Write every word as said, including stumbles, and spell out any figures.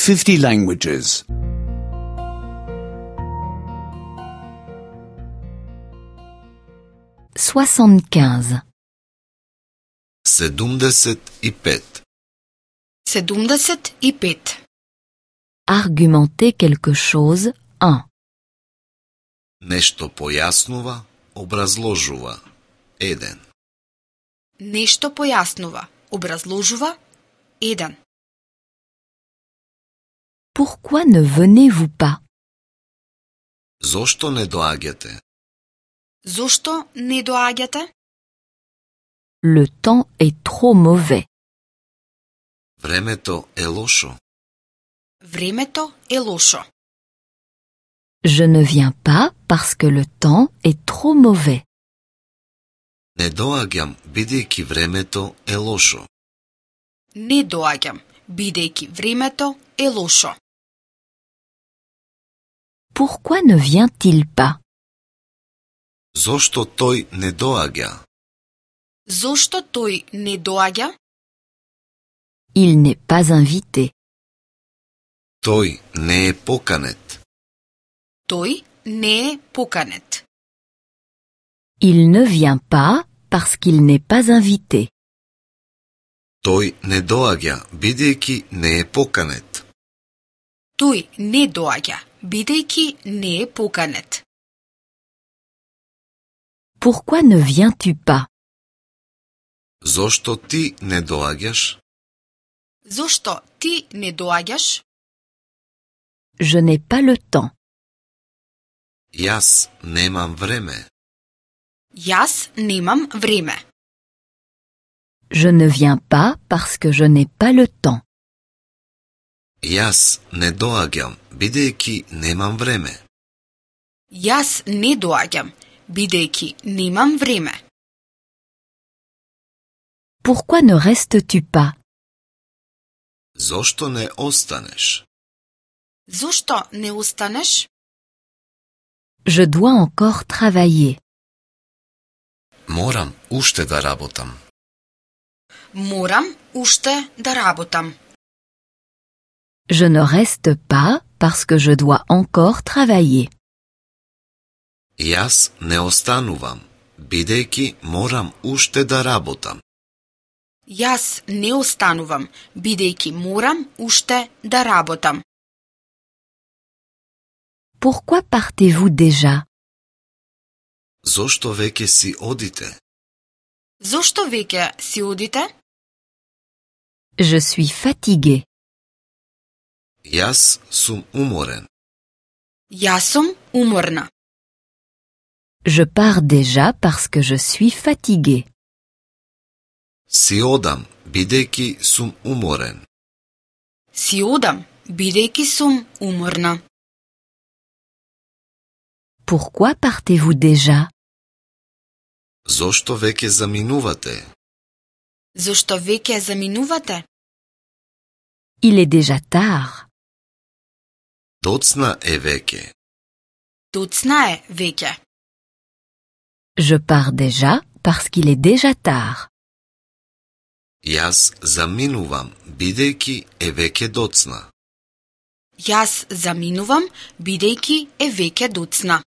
fifty languages. soixante-quinze. седумдесет и пет. седумдесет и пет. Argumenter quelque chose, un. Нешто појаснува, образложува. еден. Нешто појаснува, образложува. еден. Pourquoi ne venez-vous pas? Зошто не доаѓате? Зошто не доаѓате? Le temps est trop mauvais. Времето е лошо. Времето е лошо. Je ne viens pas parce que le temps est trop mauvais. Не доаѓам, бидејќи времето е лошо. Не доаѓам, бидејќи времето е лошо. Pourquoi ne vient-il pas? Зошто тој не доаѓа? Зошто тој не доаѓа? Il n'est pas invité. Тој не е поканет. Тој не е поканет. Il ne vient pas parce qu'il n'est pas invité. Тој не доаѓа, бидејќи не е поканет. Тој не доаѓа, бидејќи не е поканет. Pourquoi ne viens-tu pas? Зошто ти не доаѓаш? Зошто ти не доаѓаш? Je n'ai pas le temps. Јас немам време. Јас немам време. Je ne viens pas parce que je n'ai pas le temps. Јас не доаѓам, бидејќи немам време. Јас не доаѓам, бидејќи немам време. Pourquoi ne restes-tu pas? Зошто не останеш? Зошто не останеш? Je dois encore travailler. Морам уште да работам. Морам уште да работам. Je ne reste pas parce que je dois encore travailler. Јас не останувам, бидејќи морам уште да работам. Јас не останувам, бидејќи морам уште да работам. Pourquoi partez-vous déjà? Зошто веќе си одите? Зошто веќе си одите? Je suis fatigué. Јас сум уморен. Јас сум уморна. Je pars déjà parce que je suis fatigué. Си одам, бидејќи сум уморен. Си одам, бидејќи сум уморна. Pourquoi partez-vous déjà? Зошто веќе заминувате? Зошто веќе заминувате? Il est déjà tard. Доцна е веќе. Доцна е веќе. Je pars déjà parce qu'il est déjà tard. Јас заминувам, бидејќи е веќе доцна. Јас заминувам, бидејќи е веќе доцна.